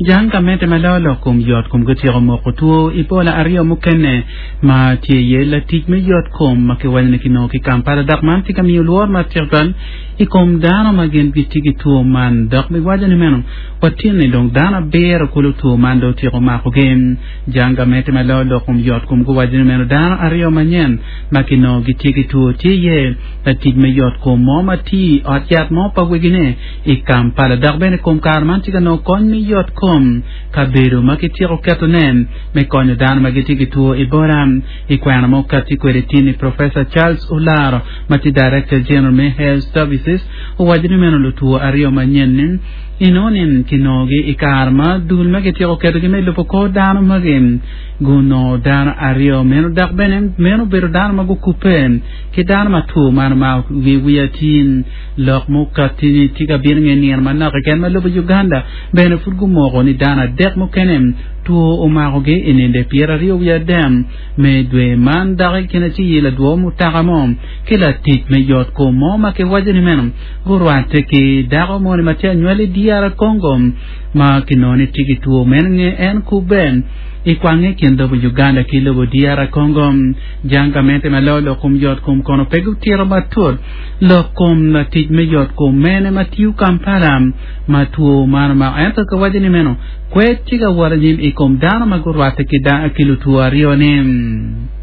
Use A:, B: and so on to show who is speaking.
A: Jang gamente ma loyo lok kom yot kom gutyeko moko two Ebola aryo mukene ma tye iye latic me yot kom ma kiwaco ni kinongo ki Kampala dok man tye ka miyo lworo matek tutwal i kom dano ma gin gitye ki two man dok giwaco ni meno watinni dong dano abiro kulu two man dong otyeko makogi. Jang gamente ma loyo lok kom yot kom guwaco ni meno dano aryo manyen ma kinongo gitye ki two tye iye latic me yot kom mo ma tiyo i ot yat mo pa wegine i Kampala dok bene kom kare man tye ka nongo kony me yot kom kabedo ma kityeko ketone me konyo dano ma gitye ki two Ebola. I kwena ma okatti kwede tin-ni, Professor Charles Olaro ma tye Director General me Health Services owaco ni meno lutwo aryo manyen-ni inongo ni kinongogi i kare ma dul ma kityeko ketogi me lubo kor dano magi gunongo dano aryo meno dok bene meno obedo dano ma gukubbe ki dano ma two man omakogi wiati. Lok mukatti-ni tye ka bino nge nino manok keken ma lobo Uganda bene pud gumoko ni dano adek mukene two omakogi i ninde pyeraryo wiye adek me dwe man dok i kine tye iye ladwo mutoka mo ki latic me yot kom mo ma kiwaco ni meno gurwatte ki dako moni ma tye anywali i DR Congo ma kinongo ni tye ki two meno nge en kubbe i kwange i kin lobo Uganda ki lobo DR Congo. Jang gamente ma loyo lok kom yot kom kono pe gutito matut Lok kom latic me yot kom mene ma tiyo Kampala ma two man omako ento kiwaco ni meno kwed tye ka wot anyim i kom dano ma gurwatte ki lutwo aryo ni.